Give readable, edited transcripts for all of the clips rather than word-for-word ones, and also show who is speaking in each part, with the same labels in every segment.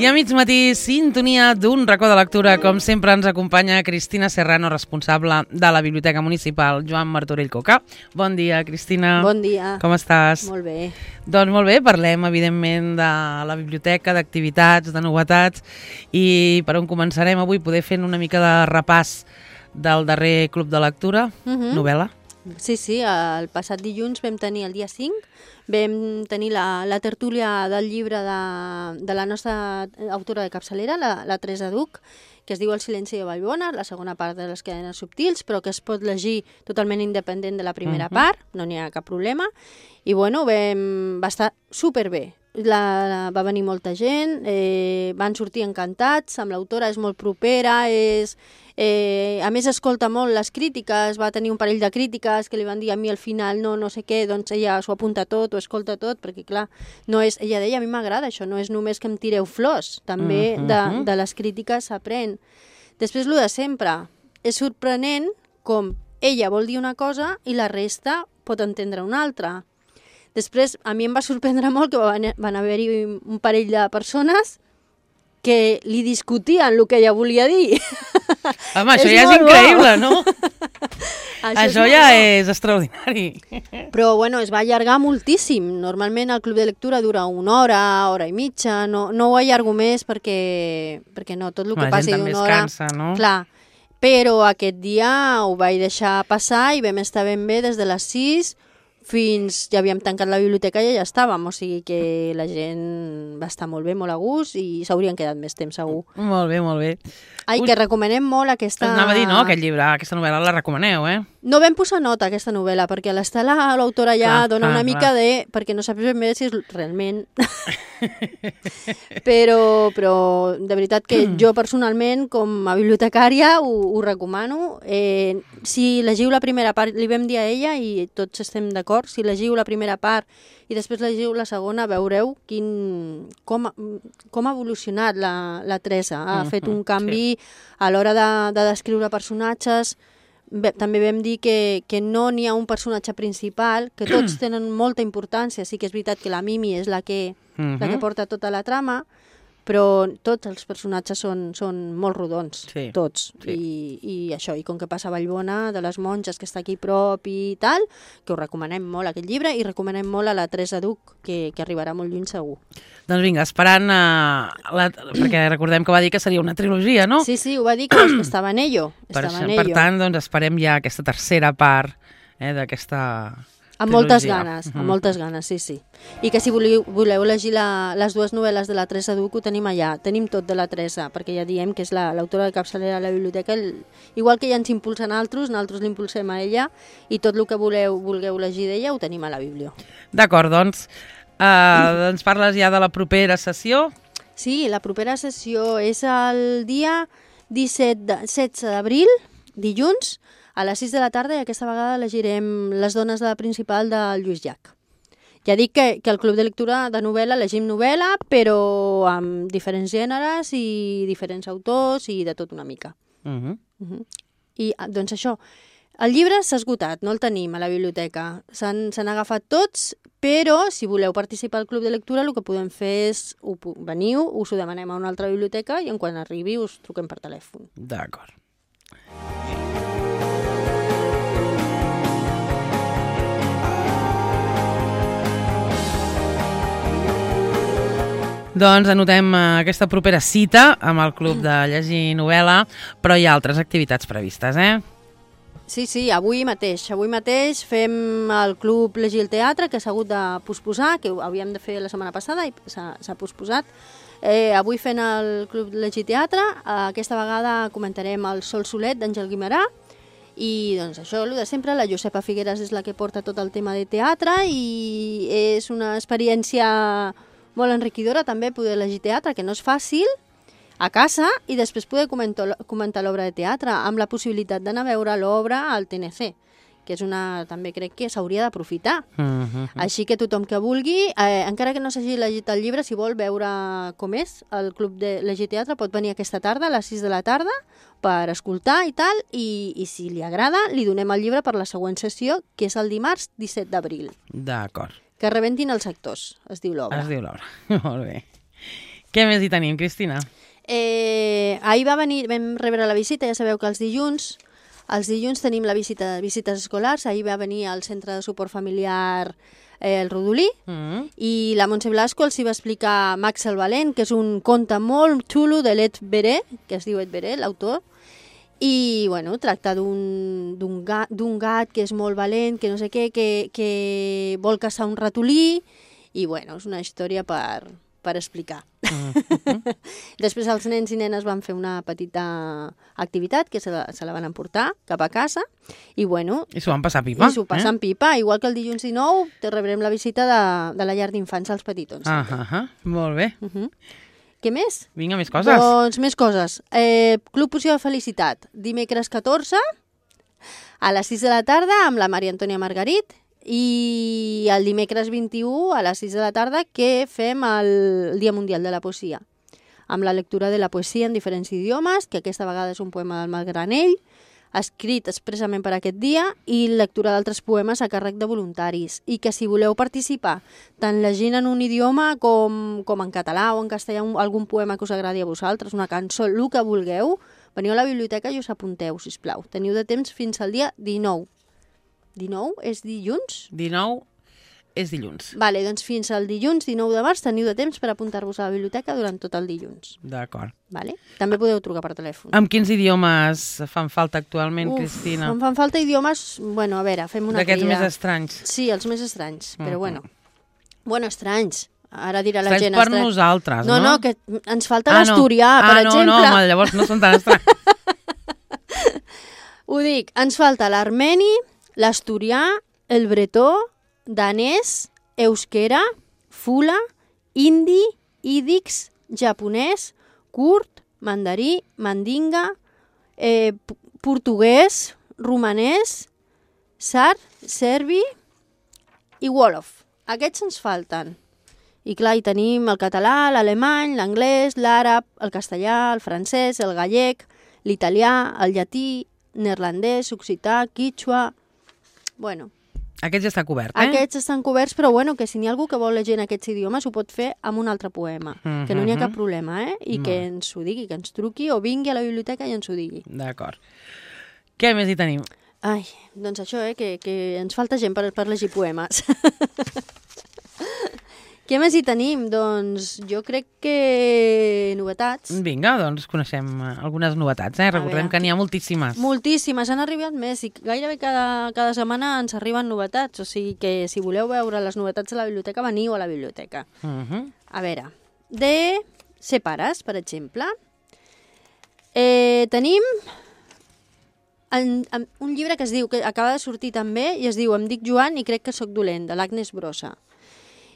Speaker 1: a mig matí, sintonia d'un racó de lectura. Com sempre ens acompanya Cristina Serrano, responsable de la Biblioteca Municipal Joan Martorell Coca. Bon dia, Cristina.
Speaker 2: Bon dia.
Speaker 1: Com estàs?
Speaker 2: Molt bé.
Speaker 1: Doncs molt bé, parlem evidentment de la biblioteca, d'activitats, de novetats, i per on començarem avui? Poder fer una mica de repàs del darrer club de lectura, novel·la.
Speaker 2: Sí, el passat dilluns vam tenir, el dia 5, vam tenir la tertúlia del llibre de la nostra autora de capçalera, la Teresa Duch, que es diu El silenci de Vallbona, la segona part de les cadenes subtils, però que es pot llegir totalment independent de la primera part, no n'hi ha cap problema. I bueno, va estar superbé. Va venir molta gent, van sortir encantats, amb l'autora és molt propera, a més escolta molt les crítiques, va tenir un parell de crítiques que li van dir a mi al final no sé què, doncs ella s'ho apunta tot, ho escolta tot, perquè clar, ella deia, a mi m'agrada això, no és només que em tireu flors, també de les crítiques s'aprèn. Després, el de sempre, és sorprenent com ella vol dir una cosa i la resta pot entendre una altra. Després, a mi em va sorprendre molt que van haver-hi un parell de persones que li discutien el que ella volia dir.
Speaker 1: Home, això ja és increïble, no? Això ja és extraordinari.
Speaker 2: Però, bueno, es va allargar moltíssim. Normalment el club de lectura dura una hora i mitja. No ho allargo més perquè no, tot el que passi d'una hora...
Speaker 1: La gent també es cansa, no?
Speaker 2: Clar, però aquest dia ho vaig deixar passar i vam estar ben bé des de les 6 fins... Ja havíem tancat la biblioteca i ja estàvem, o sigui que la gent va estar molt bé, molt a gust i s'haurien quedat més temps, segur.
Speaker 1: Molt bé, molt bé.
Speaker 2: Ai, que recomanem molt aquesta...
Speaker 1: Anava a dir, no?, aquest llibre, aquesta novel·la la recomaneu,
Speaker 2: No vam posar nota a aquesta novel·la, perquè a l'Estela l'autora ja dona una mica de... perquè no saps ben bé si és realment... però de veritat que jo personalment, com a bibliotecària, ho recomano. Si llegiu la primera part, li vam dir a ella, i tots estem d'acord, si llegiu la primera part i després llegiu la segona, veureu com ha evolucionat la Teresa. Ha fet un canvi a l'hora de descriure personatges. També vam dir que no n'hi ha un personatge principal, que tots tenen molta importància. Sí que és veritat que la Mimi és la que porta tota la trama, però tots els personatges són molt rodons, tots. I això, i com que passa a Vallbona, de les monges, que està aquí prop i tal, que us recomanem molt aquest llibre i recomanem molt a la Teresa Duch, que arribarà molt lluny segur.
Speaker 1: Doncs vinga, esperant, perquè recordem que va dir que seria una trilogia, no?
Speaker 2: Sí, ho va dir que estava en ello.
Speaker 1: Per tant, doncs esperem ja aquesta tercera part d'aquesta...
Speaker 2: Amb moltes ganes, sí. I que si voleu llegir les dues novel·les de la Teresa Duch, ho tenim allà. Tenim tot de la Teresa, perquè ja diem que és l'autora de capçalera de la biblioteca. Igual que ja ens impulsen altres, nosaltres l'impulsem a ella, i tot el que vulgueu llegir d'ella ho tenim a la biblio.
Speaker 1: D'acord, doncs ens parles ja de la propera sessió?
Speaker 2: Sí, la propera sessió és el dia 16 d'abril, dilluns, a les 6 de la tarda, i aquesta vegada llegirem Les dones de la principal del Lluís Llach. Ja dic que el club de lectura de novel·la llegim novel·la, però amb diferents gèneres i diferents autors i de tot una mica. I doncs això, el llibre s'ha esgotat, no el tenim a la biblioteca. S'han agafat tots, però si voleu participar al club de lectura el que podem fer és veniu, us ho demanem a una altra biblioteca i en quan arribi us truquem per telèfon.
Speaker 1: D'acord. Doncs anotem aquesta propera cita amb el Club de Llegir Novel·la, però hi ha altres activitats previstes,
Speaker 2: Sí, avui mateix fem el Club Llegir el Teatre, que s'ha hagut de posposar, que ho havíem de fer la setmana passada i s'ha posposat. Avui fent el Club Llegir Teatre, aquesta vegada comentarem el Sol Solet d'Àngel Guimerà, i doncs això, el de sempre, la Josepa Figueras és la que porta tot el tema de teatre i és una experiència molt enriquidora també poder llegir teatre, que no és fàcil, a casa, i després poder comentar l'obra de teatre, amb la possibilitat d'anar a veure l'obra al TNC, que és també crec que s'hauria d'aprofitar. Així que tothom que vulgui, encara que no s'hagi llegit el llibre, si vol veure com és el Club de Llegir Teatre, pot venir aquesta tarda, a les 6 de la tarda, per escoltar i tal, i si li agrada, li donem el llibre per la següent sessió, que és el dimarts 17 d'abril.
Speaker 1: D'acord.
Speaker 2: Que rebentin els actors, es diu l'obra.
Speaker 1: Es diu l'obra, molt bé. Què més hi tenim, Cristina?
Speaker 2: Ahir vam rebre la visita, ja sabeu que els dilluns tenim la visita de visites escolars. Ahir va venir al Centre de Suport Familiar el Rodolí, i la Montse Blasco els hi va explicar Max el Valent, que és un conte molt xulo de l'Ed Veré, que es diu Ed Veré, l'autor, i bueno, tracta d'un gat que és molt valent, que no sé què, que vol caçar un ratolí, i bueno, és una història per explicar. Després els nens i nenes van fer una petita activitat que se la van emportar cap a casa i bueno...
Speaker 1: I s'ho van passar pipa.
Speaker 2: I s'ho passen pipa, igual que el dilluns 19 te rebrem la visita de la llar d'infants als petitons.
Speaker 1: Molt bé.
Speaker 2: Què més?
Speaker 1: Vinga, més coses.
Speaker 2: Doncs més coses. Club Poció de Felicitat, dimecres 14 a les 6 de la tarda amb la Maria Antònia Margarit, i el dimecres 21 a les 6 de la tarda que fem el Dia Mundial de la Poesia, amb la lectura de la poesia en diferents idiomes, que aquesta vegada és un poema del Malgranell, escrit expressament per aquest dia, i lectura d'altres poemes a càrrec de voluntaris. I que si voleu participar, tant llegint en un idioma com en català o en castellà, algun poema que us agradi a vosaltres, una cançó, el que vulgueu, veniu a la biblioteca i us apunteu, sisplau. Teniu de temps fins al dia 19. 19 és dilluns?
Speaker 1: 19 és dilluns.
Speaker 2: Vale, doncs fins al dilluns 19 de març teniu de temps per apuntar-vos a la biblioteca durant tot el dilluns.
Speaker 1: D'acord.
Speaker 2: Vale? També podeu trucar per telèfon.
Speaker 1: Amb quins idiomes fan falta actualment, Cristina?
Speaker 2: Em fan falta idiomes... Bueno, a veure, fem una crida.
Speaker 1: D'aquests més estranys.
Speaker 2: Sí, els més estranys, però bueno. Bueno, estranys. Ara dirà la gent...
Speaker 1: Estranys per nosaltres, no?
Speaker 2: No, que ens falta l'asturià, per exemple.
Speaker 1: No, llavors no són tan estranys.
Speaker 2: Ho dic, ens falta l'armeni, l'asturià, el bretó, danès, euskera, fula, hindi, ídix, japonès, kurd, mandarí, mandinga, portuguès, romanès, sard, serbi i wolof. Aquests ens falten. I clar, hi tenim el català, l'alemany, l'anglès, l'àrab, el castellà, el francès, el gallec, l'italià, el llatí, neerlandès, occità, quichua... Bueno.
Speaker 1: Aquests ja està cobert,
Speaker 2: Aquests estan coberts, però bueno, que si n'hi ha algú que vol llegir en aquests idiomes ho pot fer amb un altre poema, que no n'hi ha cap problema, I que ens ho digui, que ens truqui o vingui a la biblioteca i ens ho digui.
Speaker 1: D'acord. Què més hi tenim?
Speaker 2: Ai, doncs això, que ens falta gent per llegir poemes. Què més hi tenim? Doncs jo crec que novetats.
Speaker 1: Vinga, doncs coneixem algunes novetats, Recordem que n'hi ha moltíssimes.
Speaker 2: Moltíssimes, han arribat més i gairebé cada setmana ens arriben novetats, o sigui que si voleu veure les novetats de la biblioteca, veniu a la biblioteca. A veure, de Ser pares, per exemple, tenim un llibre que es diu, que acaba de sortir també, i es diu Em dic Joan i crec que sóc dolent, de l'Agnes Brossa.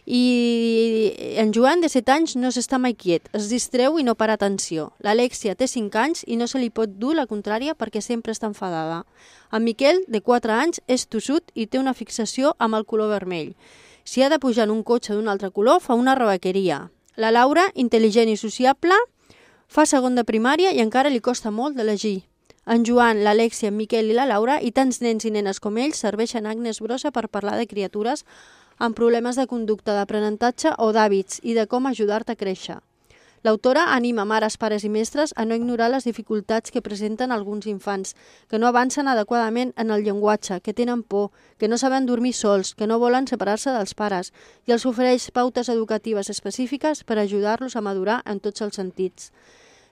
Speaker 2: I en Joan, de 7 anys, no s'està mai quiet, es distreu i no para atenció. L'Alexia té 5 anys i no se li pot dur la contrària perquè sempre està enfadada. En Miquel, de 4 anys, és tossut i té una fixació amb el color vermell. Si ha de pujar en un cotxe d'un altre color, fa una rebequeria. La Laura, intel·ligent i sociable, fa segon de primària i encara li costa molt d'elegir. En Joan, l'Alexia, en Miquel i la Laura i tants nens i nenes com ells serveixen Agnes Brossa per parlar de criatures amb problemes de conducta, d'aprenentatge o d'hàbits i de com ajudar-te a créixer. L'autora anima mares, pares i mestres a no ignorar les dificultats que presenten alguns infants, que no avancen adequadament en el llenguatge, que tenen por, que no saben dormir sols, que no volen separar-se dels pares, i els ofereix pautes educatives específiques per ajudar-los a madurar en tots els sentits.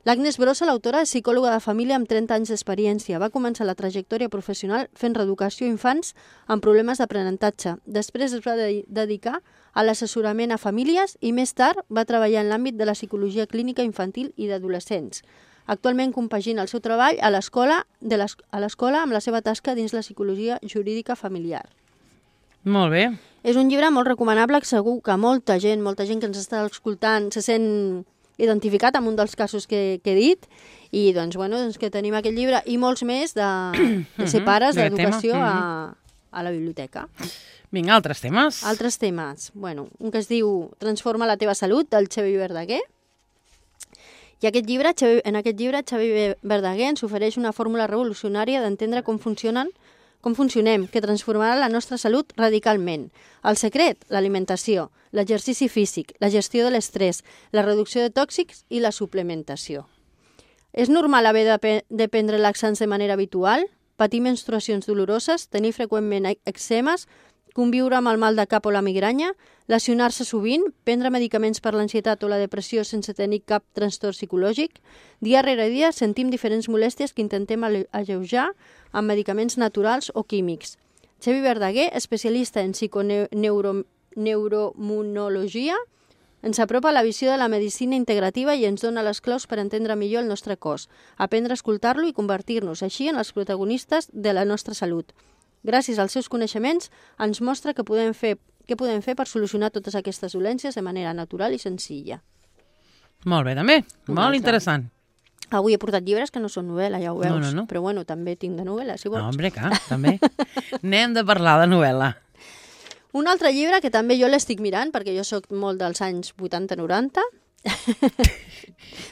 Speaker 2: L'Agnes Brossa, l'autora, és psicòloga de família amb 30 anys d'experiència. Va començar la trajectòria professional fent reeducació a infants amb problemes d'aprenentatge. Després es va dedicar a l'assessorament a famílies i més tard va treballar en l'àmbit de la psicologia clínica infantil i d'adolescents. Actualment compagina el seu treball a l'escola amb la seva tasca dins la psicologia jurídica familiar.
Speaker 1: Molt bé.
Speaker 2: És un llibre molt recomanable, segur que molta gent que ens està escoltant se sent identificat amb un dels casos que he dit, i doncs, que tenim aquest llibre i molts més de ser pares, d'educació a la biblioteca.
Speaker 1: Vinga, altres temes.
Speaker 2: Altres temes. Un que es diu Transforma la teva salut, del Xavi Verdaguer. I en aquest llibre Xavi Verdaguer ens ofereix una fórmula revolucionària d'entendre com funcionen com funcionem, que transformarà la nostra salut radicalment. El secret, l'alimentació, l'exercici físic, la gestió de l'estrès, la reducció de tòxics i la suplementació. És normal haver de prendre laxants de manera habitual, patir menstruacions doloroses, tenir freqüentment eczemes, conviure amb el mal de cap o la migranya, lesionar-se sovint, prendre medicaments per l'ansietat o la depressió sense tenir cap trastorn psicològic. Dia rere dia sentim diferents molèsties que intentem alleujar amb medicaments naturals o químics. Xavi Verdaguer, especialista en psiconeuroimmunologia, ens apropa a la visió de la medicina integrativa i ens dona les claus per entendre millor el nostre cos, aprendre a escoltar-lo i convertir-nos així en els protagonistes de la nostra salut. Gràcies als seus coneixements, ens mostra què podem fer per solucionar totes aquestes dolències de manera natural i senzilla.
Speaker 1: Molt bé, també. Molt interessant.
Speaker 2: Avui he portat llibres que no són novel·la, ja ho veus.
Speaker 1: No.
Speaker 2: Però bueno, també tinc de novel·la, si vols.
Speaker 1: No, hombre, clar, també. Anem de parlar de novel·la.
Speaker 2: Un altre llibre que també jo l'estic mirant, perquè jo sóc molt dels anys 80-90.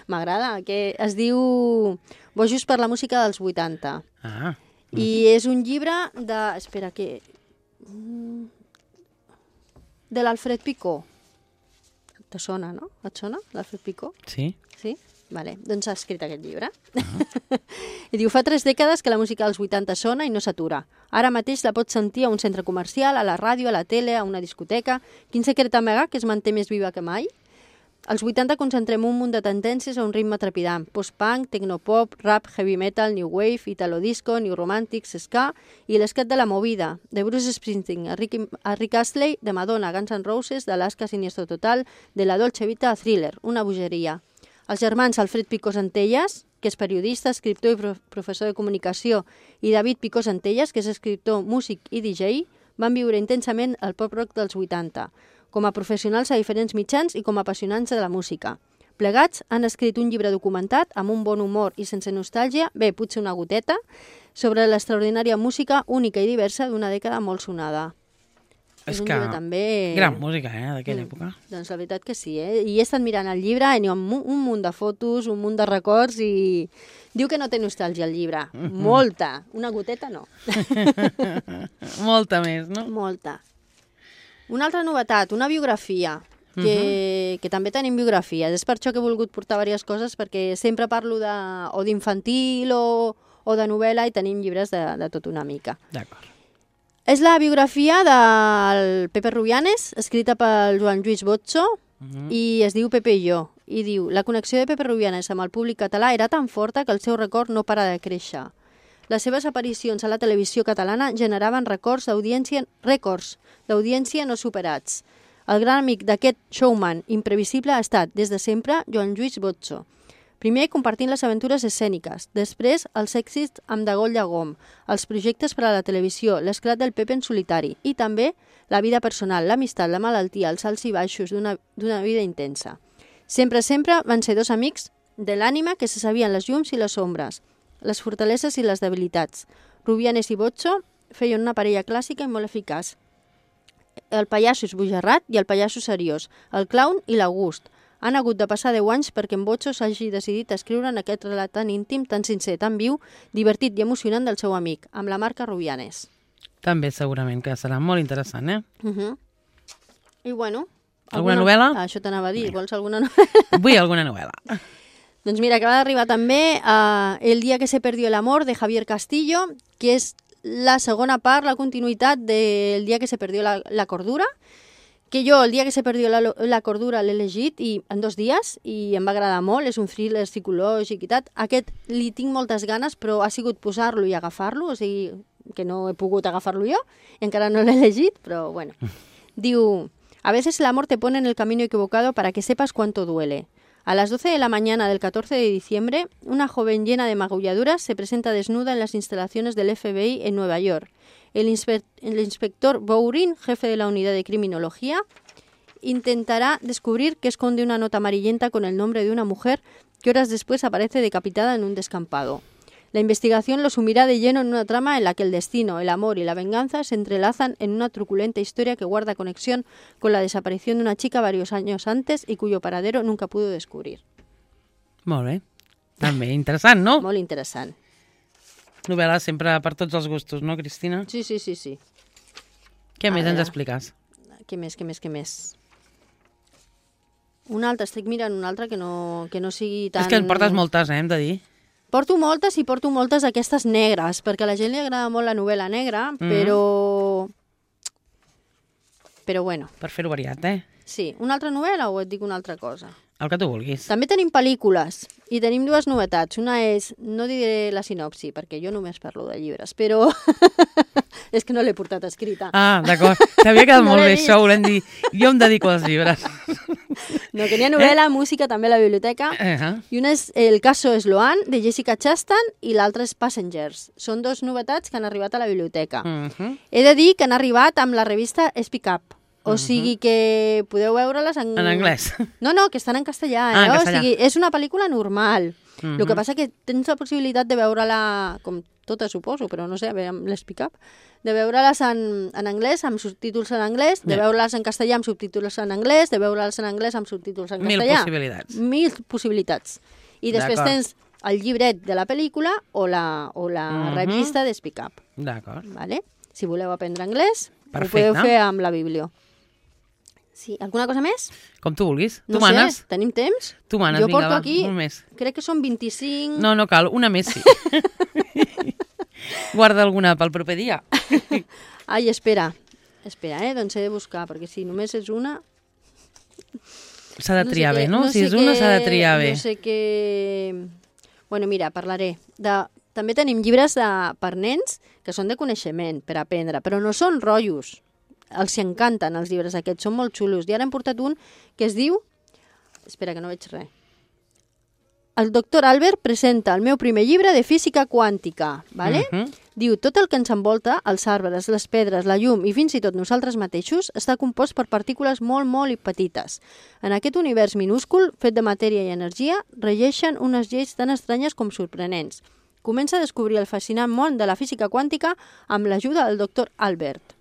Speaker 2: M'agrada, que es diu Bojos per la música dels 80.
Speaker 1: Ah.
Speaker 2: I és un llibre de... Espera, que... de l'Alfred Picó. Te sona, no? Et sona, l'Alfred Picó?
Speaker 1: Sí.
Speaker 2: Sí? Vale, doncs ha escrit aquest llibre. I diu, fa 3 dècades que la música dels 80 sona i no s'atura. Ara mateix la pots sentir a un centre comercial, a la ràdio, a la tele, a una discoteca. Quin secret amagar que es manté més viva que mai? Als 80 concentrem un munt de tendències a un ritme trepidant. Post-punk, tecnopop, rap, heavy metal, new wave, italo-disco, new romantics, ska i l'escat de la movida, de Bruce Springsteen, a Rick Astley, de Madonna, Guns N' Roses, d'Alaska Siniestro Total, de la Dolce Vita a Thriller, una bogeria. Els germans Alfred Picó Centelles, que és periodista, escriptor i professor de comunicació, i David Picó Centelles, que és escriptor, músic i DJ, van viure intensament el pop-rock dels 80, com a professionals a diferents mitjans i com a apassionants de la música. Plegats han escrit un llibre documentat amb un bon humor i sense nostàlgia, bé, potser una goteta, sobre l'extraordinària música única i diversa d'una dècada molt sonada.
Speaker 1: És
Speaker 2: un
Speaker 1: que
Speaker 2: llibre també...
Speaker 1: gran música, d'aquella època.
Speaker 2: Doncs la veritat que sí, I he estat mirant el llibre i amb un munt de fotos, un munt de records i... Diu que no té nostàlgia el llibre. Molta. Una goteta no.
Speaker 1: Molta més, no?
Speaker 2: Molta. Una altra novetat, una biografia, que també tenim biografies. És per això que he volgut portar diverses coses, perquè sempre parlo o d'infantil o de novel·la i tenim llibres de tot una mica.
Speaker 1: D'acord.
Speaker 2: És la biografia del Pepe Rubianes, escrita pel Joan Lluís Botxo, i es diu Pepe i jo. I diu, la connexió de Pepe Rubianes amb el públic català era tan forta que el seu record no para de créixer. Les seves aparicions a la televisió catalana generaven rècords d'audiència no superats. El gran amic d'aquest showman imprevisible ha estat, des de sempre, Joan Lluís Botxo. Primer compartint les aventures escèniques, després els èxits amb Dagol Llagom, els projectes per a la televisió, l'esclat del Pepe en solitari i també la vida personal, l'amistat, la malaltia, els alts i baixos d'una vida intensa. Sempre van ser dos amics de l'ànima que se sabien les llums i les ombres, les fortaleses i les debilitats. Rubianes i Botxo feien una parella clàssica i molt eficaç. El pallasso esbojarrat i el pallasso seriós, el clown i l'August. Han hagut de passar 10 anys perquè en Botxo s'hagi decidit a escriure en aquest relat tan íntim, tan sincer, tan viu, divertit i emocionant del seu amic, amb la marca Rubianes.
Speaker 1: També segurament que serà molt interessant,
Speaker 2: I bueno...
Speaker 1: Alguna novel·la?
Speaker 2: Això t'anava a dir, vols alguna novel·la?
Speaker 1: Vull alguna novel·la.
Speaker 2: Doncs mira, acaba d'arribar també El día que se perdió el amor, de Javier Castillo, que és la segona part, la continuïtat del día que se perdió la cordura, que jo el dia que se perdió la cordura l'he llegit en 2 dies i em va agradar molt, és un thriller psicològic i tal. Aquest li tinc moltes ganes, però ha sigut posar-lo i agafar-lo, o sigui que no he pogut agafar-lo jo, i encara no l'he llegit, però bueno. Diu, a veces el amor te pone en el camino equivocado para que sepas cuánto duele. A las 12 de la mañana del 14 de diciembre, una joven llena de magulladuras se presenta desnuda en las instalaciones del FBI en Nueva York. El inspector Bowring, jefe de la unidad de criminología, intentará descubrir qué esconde una nota amarillenta con el nombre de una mujer que horas después aparece decapitada en un descampado. La investigación lo sumirá de lleno en una trama en la que el destino, el amor y la venganza se entrelazan en una truculenta historia que guarda conexión con la desaparición de una chica varios años antes y cuyo paradero nunca pudo descubrir.
Speaker 1: Molt bé. També interessant, no?
Speaker 2: Molt interessant.
Speaker 1: Novel·la sempre per tots els gustos, no, Cristina?
Speaker 2: Sí.
Speaker 1: Què més ens
Speaker 2: veure.
Speaker 1: expliques?
Speaker 2: Què més? Una altra, estic mirant una altra que no sigui tan...
Speaker 1: És que en portes moltes, hem de dir.
Speaker 2: Porto moltes i porto moltes aquestes negres, perquè a la gent li agrada molt la novel·la negra, però bueno.
Speaker 1: Per fer-ho variat,
Speaker 2: Sí, una altra novel·la o et dic una altra cosa?
Speaker 1: El que tu vulguis.
Speaker 2: També tenim pel·lícules i tenim dues novetats. Una és, no diré la sinopsi, perquè jo només parlo de llibres, però és que no l'he portat escrita.
Speaker 1: Ah, d'acord. T'havia quedat
Speaker 2: No
Speaker 1: molt
Speaker 2: l'he
Speaker 1: bé
Speaker 2: vist.
Speaker 1: això, volem dir. Jo em dedico als llibres.
Speaker 2: No, que n'hi ha novel·la, música, també a la biblioteca. I una és El caso Sloan, de Jessica Chastain, i l'altra és Passengers. Són dos novetats que han arribat a la biblioteca. He de dir que han arribat amb la revista Speak Up. O sigui que podeu veure-les en...
Speaker 1: En anglès.
Speaker 2: No, que estan en castellà.
Speaker 1: En castellà.
Speaker 2: O sigui, és una pel·lícula normal. El que passa que tens la possibilitat de veure-la, com totes suposo, però no sé, amb l'Speak Up, de veure-les en anglès, amb subtítols en anglès, de veure-les en castellà amb subtítols en anglès, de veure-les en anglès amb subtítols en castellà. Mil possibilitats. I després tens el llibret de la pel·lícula o la revista de Speak Up.
Speaker 1: D'acord.
Speaker 2: Vale? Si voleu aprendre anglès,
Speaker 1: perfecte,
Speaker 2: ho podeu fer amb la Biblio. Sí, alguna cosa més?
Speaker 1: Com tu vulguis.
Speaker 2: No
Speaker 1: tu manes.
Speaker 2: sé, tenim temps?
Speaker 1: Tu manes,
Speaker 2: jo
Speaker 1: vinga,
Speaker 2: porto aquí,
Speaker 1: un més.
Speaker 2: crec que són 25...
Speaker 1: No cal, una més sí. Guarda alguna pel proper dia.
Speaker 2: Ai, espera, doncs he de buscar, perquè si només és una...
Speaker 1: S'ha de triar bé, no? Si és una, s'ha de triar bé.
Speaker 2: No sé què... Bueno, mira, parlaré. També tenim llibres per nens que són de coneixement, per aprendre, però no són rotllos. Els encanten, els llibres aquests, són molt xulos. I ara hem portat un que es diu... Espera, que no veig res. El doctor Albert presenta el meu primer llibre de física quàntica, ¿vale? Diu, tot el que ens envolta, els arbres, les pedres, la llum i fins i tot nosaltres mateixos, està compost per partícules molt, molt petites. En aquest univers minúscul, fet de matèria i energia, regeixen unes lleis tan estranyes com sorprenents. Comença a descobrir el fascinant món de la física quàntica amb l'ajuda del doctor Albert.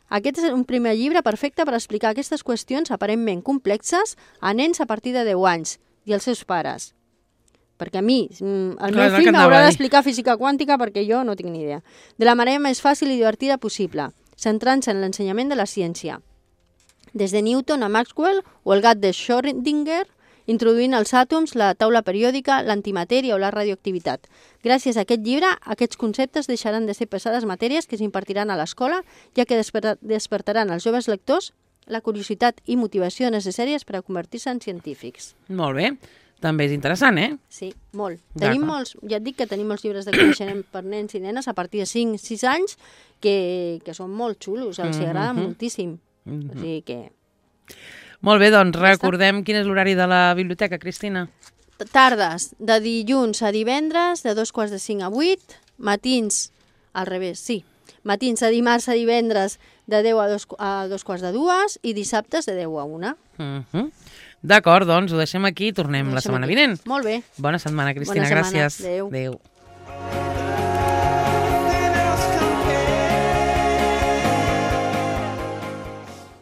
Speaker 2: Aquest és un primer llibre perfecte per explicar aquestes qüestions aparentment complexes a nens a partir de 10 anys i els seus pares. Perquè a mi, el meu fill m'haurà d'explicar física quàntica perquè jo no tinc ni idea. De la manera més fàcil i divertida possible, centrant-se en l'ensenyament de la ciència. Des de Newton a Maxwell o el gat de Schrödinger, introduint els àtoms, la taula periòdica, l'antimatèria o la radioactivitat. Gràcies a aquest llibre, aquests conceptes deixaran de ser pesades matèries que s'impartiran a l'escola, ja que despertaran als joves lectors la curiositat i motivació necessàries per a convertir-se en científics.
Speaker 1: Molt bé. També és interessant,
Speaker 2: Sí, molt. Tenim molts, ja et dic que tenim molts llibres de coneixement per nens i nenes a partir de 5-6 anys que són molt xulos, els agrada moltíssim. O sigui que...
Speaker 1: Molt bé, doncs recordem quin és l'horari de la biblioteca, Cristina.
Speaker 2: Tardes, de dilluns a divendres, de 2:45 a 8, matins, al revés, sí, matins de dimarts a divendres de 10 a 2:45 i dissabtes de 10 a 1.
Speaker 1: D'acord, doncs ho deixem aquí i tornem la setmana vinent.
Speaker 2: Molt bé.
Speaker 1: Bona setmana, Cristina,
Speaker 2: Bona setmana.
Speaker 1: gràcies.
Speaker 2: Adéu.
Speaker 1: Adéu.